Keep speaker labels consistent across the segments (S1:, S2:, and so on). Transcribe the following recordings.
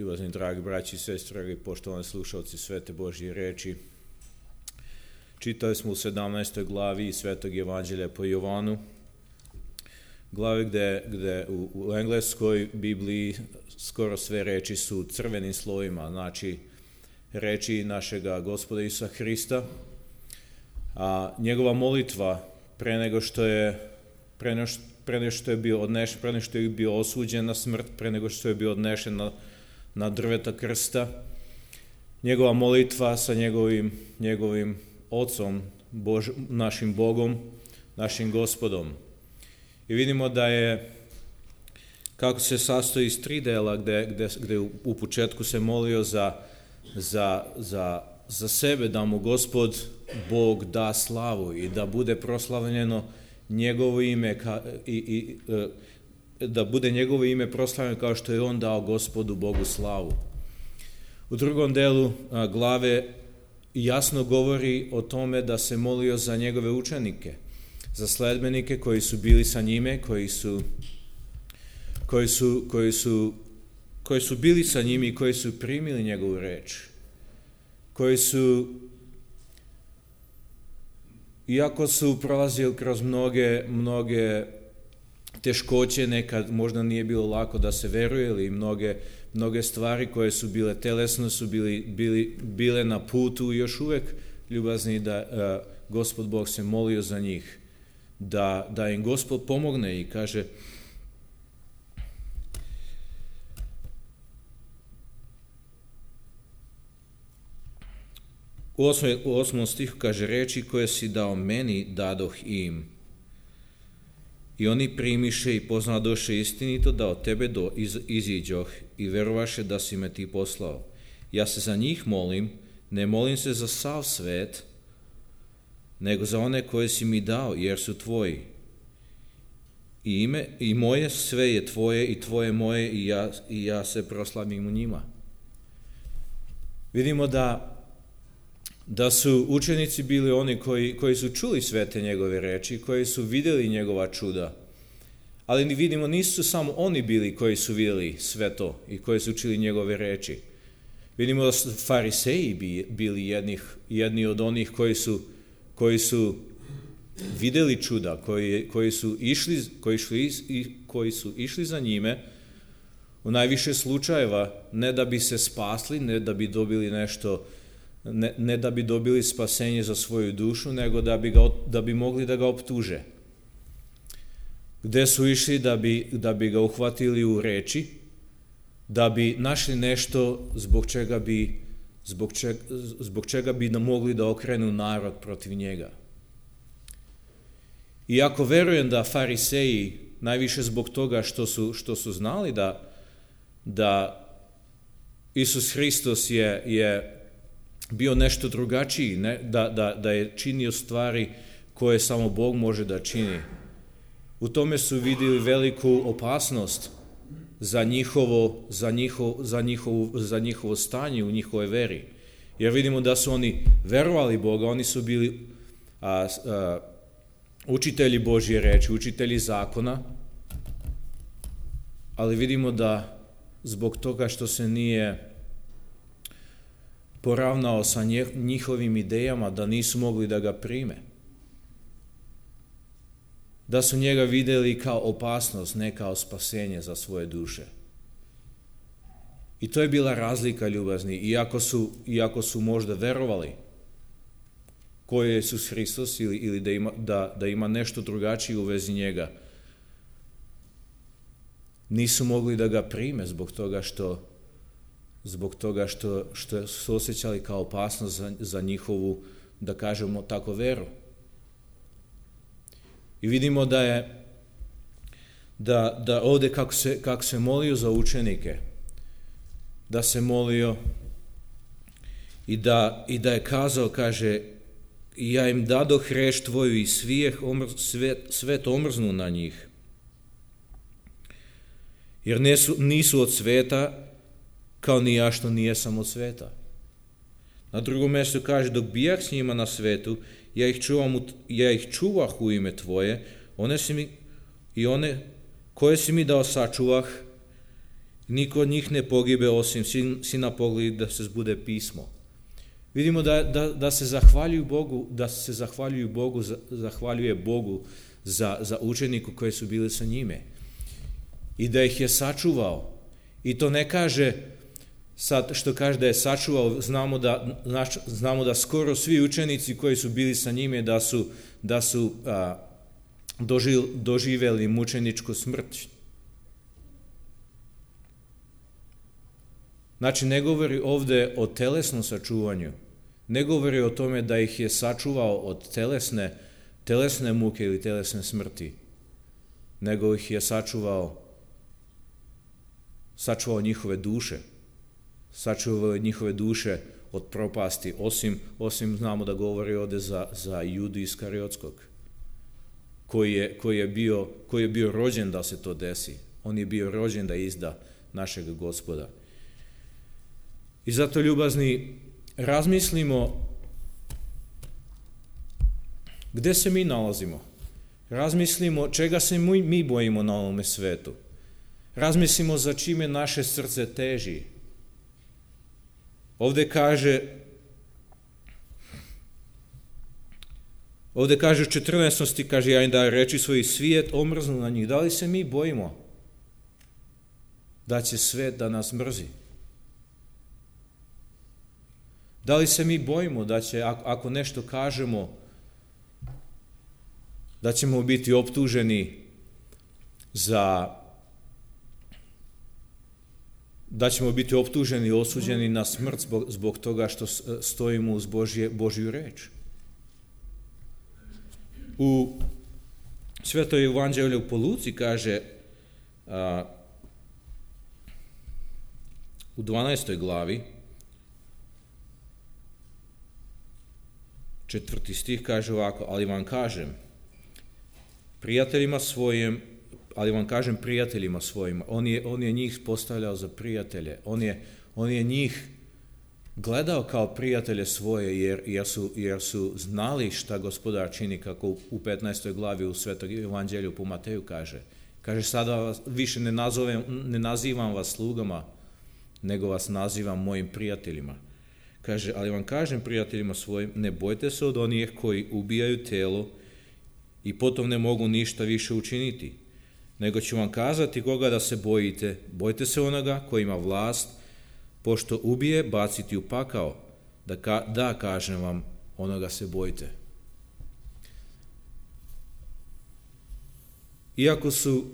S1: Ljubazni dragi braći i sestre, dragi poštovani slušalci Svete Božje reči. Čitali smo u 17. glavi Svetog Evanđelja po Jovanu, glavi gde u engleskoj Bibliji skoro sve reči su crvenim slovima, znači reči našega Gospoda Isusa Hrista, a njegova molitva pre nego što je bio osuđen na smrt, pre nego što je bio odnešen na drveta krsta, njegova molitva sa njegovim Ocom, našim Bogom, našim Gospodom. I vidimo da je, kako se sastoji iz 3 dela, gde u početku se molio za sebe, da mu Gospod Bog da slavu i da bude proslavljeno njegovo ime da bude njegovo ime proslavljeno kao što je on dao Gospodu Bogu slavu. U drugom delu glave jasno govori o tome da se molio za njegove učenike, za sledbenike koji su bili sa njime, koji su bili sa njim i koji su primili njegovu reč, koji su, iako su prolazili kroz mnoge teškoće, nekad možda nije bilo lako da se veruje, ili mnoge stvari koje su bile telesno, su bile na putu i još uvek ljubazni da Gospod Bog se molio za njih, da im Gospod pomogne i kaže u 8. stihu kaže: reči koje si dao meni dadoh im, i oni primiše i poznadoše istinito da od tebe iziđoh i verovaše da si me ti poslao. Ja se za njih molim, ne molim se za sav svet, nego za one koje si mi dao, jer su tvoji. I moje sve je tvoje i tvoje moje, i ja se proslavim u njima. Vidimo da su učenici bili oni koji su čuli sve te njegove reči, koji su vidjeli njegova čuda. Ali vidimo, nisu samo oni bili koji su vidjeli sve to i koji su čuli njegove reči. Vidimo da su fariseji bili jedni od onih koji su vidjeli čuda, koji su išli za njime u najviše slučajeva, ne da bi se spasli, ne da bi dobili nešto, ne da bi dobili spasenje za svoju dušu, nego da bi mogli da ga optuže. Gde su išli da bi ga uhvatili u reči, da bi našli nešto zbog čega bi mogli da okrenu narod protiv njega. Iako verujem da fariseji, najviše zbog toga što su znali da Isus Hristos je bio nešto drugačiji, da je činio stvari koje samo Bog može da čini. U tome su vidjeli veliku opasnost za njihovo stanje u njihovoj veri. Jer vidimo da su oni verovali Boga, oni su bili učitelji Božje reči, učitelji zakona, ali vidimo da zbog toga što se nije poravnao sa njihovim idejama, da nisu mogli da ga prime. Da su njega vidjeli kao opasnost, ne kao spasenje za svoje duše. I to je bila razlika, ljubazni, iako su možda verovali ko je Isus Hristos ili da ima nešto drugačije u vezi njega, nisu mogli da ga prime zbog toga što su osjećali kao opasnost za njihovu, da kažemo tako, veru. I vidimo da ovdje kako se molio za učenike, da se molio i da je kazao, kaže: ja im dadoh reč tvoju i svet omrznu na njih, jer nisu od sveta, kao ni ja što nijesam od sveta. Na drugom mjestu kaže: dok bijah s njima na svetu, ja ih čuvah u ime tvoje, one koje si mi dao sačuvah, Niko od njih ne pogibe osim sina pogli da se zbude pismo. Vidimo da se zahvaljuje Bogu za učeniku koji su bili sa njime. I da ih je sačuvao. I to ne kaže, sad što kaže da je sačuvao, znamo da skoro svi učenici koji su bili sa njime da su doživjeli mučeničku smrt. Znači, ne govori ovdje o telesnom sačuvanju, ne govori o tome da ih je sačuvao od telesne muke ili telesne smrti, nego ih je sačuvao njihove duše, sačuvao njihove duše od propasti, osim znamo da govori ovdje za Judu Iskariotskog, koji je bio rođen da se to desi. On je bio rođen da izda našeg Gospoda. I zato, ljubazni, razmislimo gdje se mi nalazimo. Razmislimo čega se mi bojimo na ovome svetu. Razmislimo za čime naše srce teži. Ovdje kaže u 14. kaže, ja im da reči svoj svijet omrznu na njih. Da li se mi bojimo da će svet da nas mrzi? Da li se mi bojimo da će, ako nešto kažemo, da ćemo biti optuženi i osuđeni na smrt zbog toga što stojimo uz Božju reč? U Svetoj Evanđelju po Luci kaže u 12. glavi 4. stih kaže ovako, ali vam kažem prijateljima svojima, on je njih postavljao za prijatelje, on je njih gledao kao prijatelje svoje, jer su znali šta Gospodar čini, kako u 15. glavi u Svetog Evanđelju po Mateju kaže. Kaže, sada više ne nazivam vas slugama, nego vas nazivam mojim prijateljima. Kaže, ali vam kažem prijateljima svojim, ne bojte se od onih koji ubijaju telo i potom ne mogu ništa više učiniti, nego ću vam kazati koga da se bojite. Bojte se onoga koji ima vlast, pošto ubije, baciti u pakao. Da kažem vam, onoga se bojte. Iako su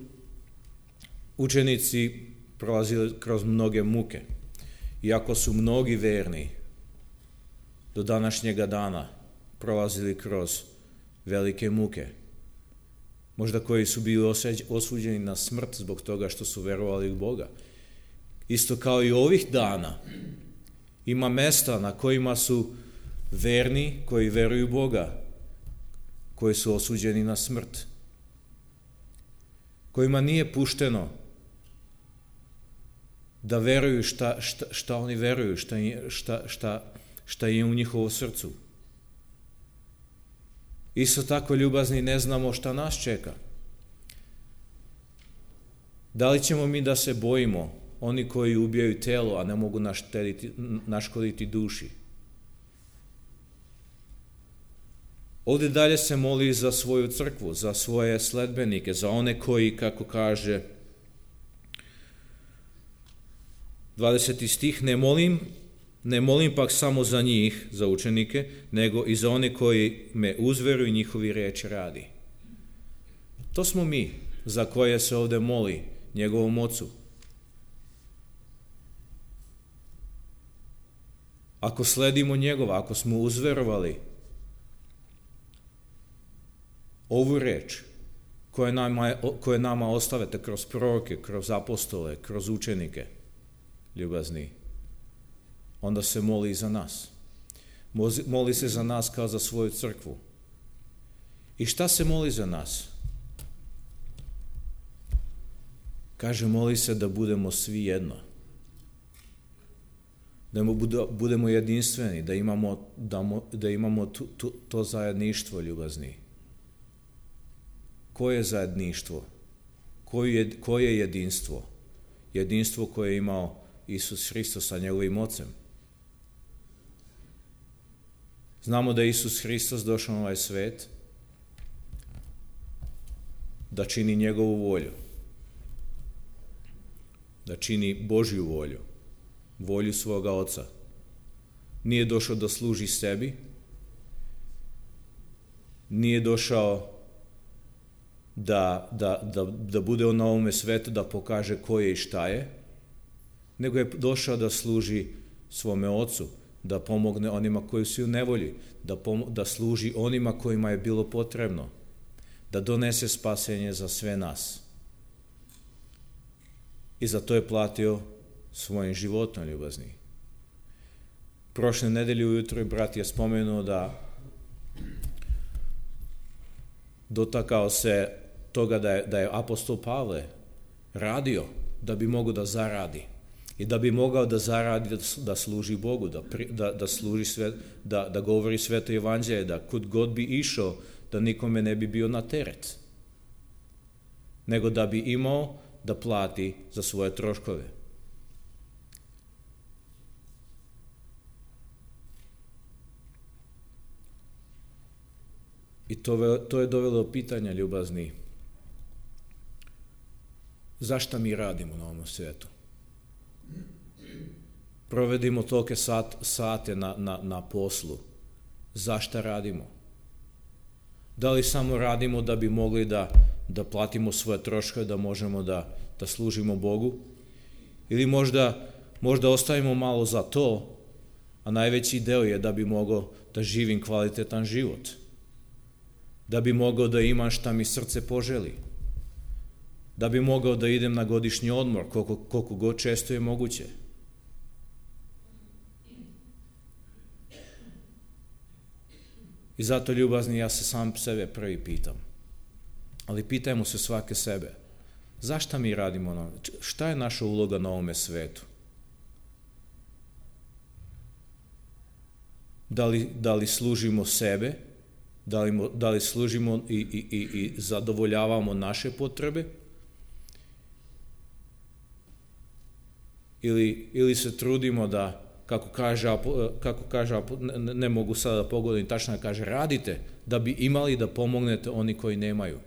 S1: učenici prolazili kroz mnoge muke, iako su mnogi verni do današnjega dana prolazili kroz velike muke, možda koji su bili osuđeni na smrt zbog toga što su verovali u Boga. Isto kao i ovih dana ima mesta na kojima su verni koji veruju u Boga, koji su osuđeni na smrt, kojima nije pušteno da veruju šta oni veruju, šta je u njihovom srcu. Isto tako, ljubazni, ne znamo šta nas čeka. Da li ćemo mi da se bojimo oni koji ubijaju telo, a ne mogu naškoditi duši? Ovdje dalje se moli za svoju crkvu, za svoje sledbenike, za one koji, kako kaže 20. stih, ne molim pak samo za njih, za učenike, nego i za one koji me uzveruju i njihovi reči radi. To smo mi, za koje se ovdje moli njegovom ocu. Ako sledimo njegova, ako smo uzverovali ovu reč koje nama ostavete kroz proroke, kroz apostole, kroz učenike, ljubazni, onda se moli za nas. Moli se za nas kao za svoju crkvu. I šta se moli za nas? Kaže, moli se da budemo svi jedno. Da budemo jedinstveni, da imamo to zajedništvo, ljubazni. Koje je zajedništvo? Koje je jedinstvo? jedinstvo koje je imao Isus Hristos sa njegovim ocem. Znamo da je Isus Hristos došao na ovaj svet da čini njegovu volju, da čini Božju volju, volju svoga Oca. Nije došao da služi sebi, nije došao da bude on na ovome svetu, da pokaže ko je i šta je, nego je došao da služi svome Ocu, da pomogne onima koji su u nevolji, da služi onima kojima je bilo potrebno, da donese spasenje za sve nas. I za to je platio svojim životom, ljubazni. Prošle nedelje ujutro brat je spomenuo da dotakao se toga da je apostol Pavle radio da bi mogao da zaradi i da bi mogao da zaradi da služi Bogu, da služi da govori sveto evanđelje, da kud god bi išao da nikome ne bi bio na teret, nego da bi imao da plati za svoje troškove. I to je dovelo do pitanja, ljubazni, zašto mi radimo na ovom svijetu? Provedimo tolike sate na poslu. Zašto radimo? Da li samo radimo da bi mogli da platimo svoje troškove, da možemo da služimo Bogu? Ili možda ostavimo malo za to, a najveći deo je da bi mogao da živim kvalitetan život, da bi mogao da imam šta mi srce poželi, da bi mogao da idem na godišnji odmor koliko god često je moguće. I zato, ljubazni, ja se sam sebe prvi pitam, ali pitajmo se svake sebe, zašto mi radimo, šta je naša uloga na ovome svetu? Da li služimo sebe, da li služimo i zadovoljavamo naše potrebe, ili se trudimo da, kako kaže, ne mogu sada da pogodim tačno, da kaže, radite da bi imali da pomognete oni koji nemaju.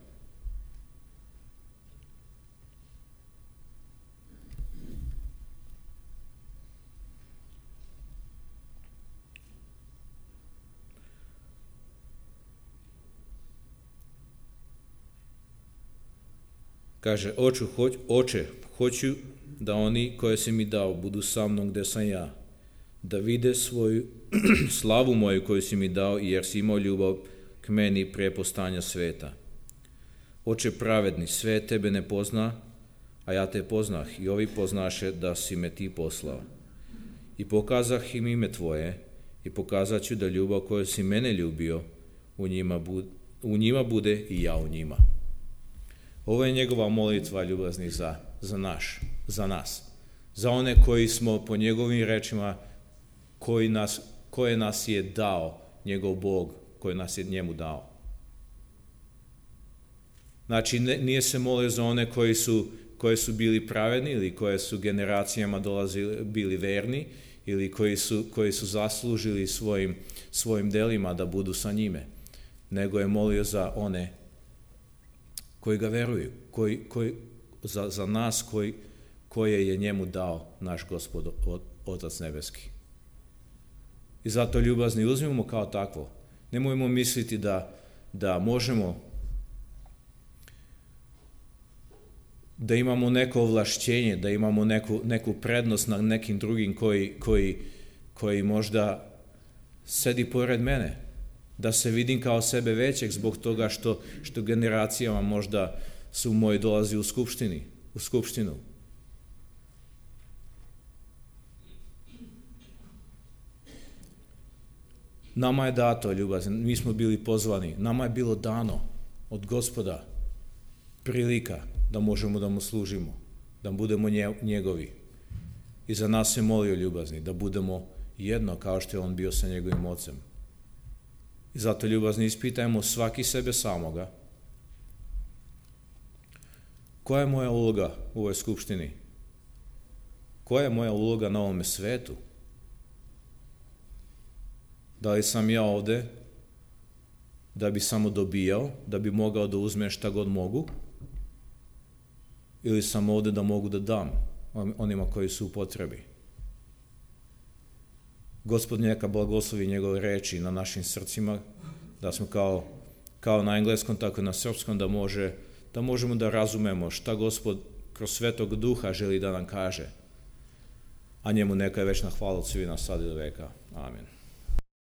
S1: Kaže, oče, hoću da oni koje si mi dao budu sa mnom gde sam ja, da vide svoju slavu moju koju si mi dao, jer si imao ljubav k meni prije postojanja sveta. Oče pravedni, sve tebe ne pozna, a ja te poznah i ovi poznaše da si me ti poslao. I pokazah im ime tvoje i pokazat ću da ljubav koju si mene ljubio u njima bude i ja u njima. Ovo je njegova molitva, ljubazni, za nas. Za one koji smo, po njegovim rečima, koje nas je dao njegov Bog, koji nas je njemu dao. Znači, nije se molio za one koji su bili pravedni ili koje su generacijama bili verni ili koji su zaslužili svojim delima da budu sa njime, nego je molio za one koji ga veruju, za nas koje je njemu dao naš Gospod, Otac nebeski. I zato, ljubazni, uzmimo kao takvo. Nemojmo misliti da možemo da imamo neko ovlašćenje, da imamo neku prednost na nekim drugim koji možda sedi pored mene, da se vidim kao sebe većeg zbog toga što generacijama možda su moji dolazi u skupštinu. Nama je dato, ljubazni, mi smo bili pozvani, nama je bilo dano od Gospoda prilika da možemo da mu služimo, da budemo njegovi. I za nas se molio, ljubazni, da budemo jedno kao što je on bio sa njegovim ocem. I zato, ljubazni, ispitajmo svaki sebe samoga. Koja je moja uloga u ovoj skupštini? koja je moja uloga na ovome svetu? Da li sam ja ovde da bi samo dobijao, da bi mogao da uzmem šta god mogu? Ili sam ovde da mogu da dam onima koji su u potrebi? Gospod neka blagoslovi njegove reči na našim srcima, da smo kao na engleskom, tako i na srpskom, da možemo da razumemo šta Gospod kroz Svetog Duha želi da nam kaže. A njemu neka je večna hvala od svih nas sad i do veka. Amen.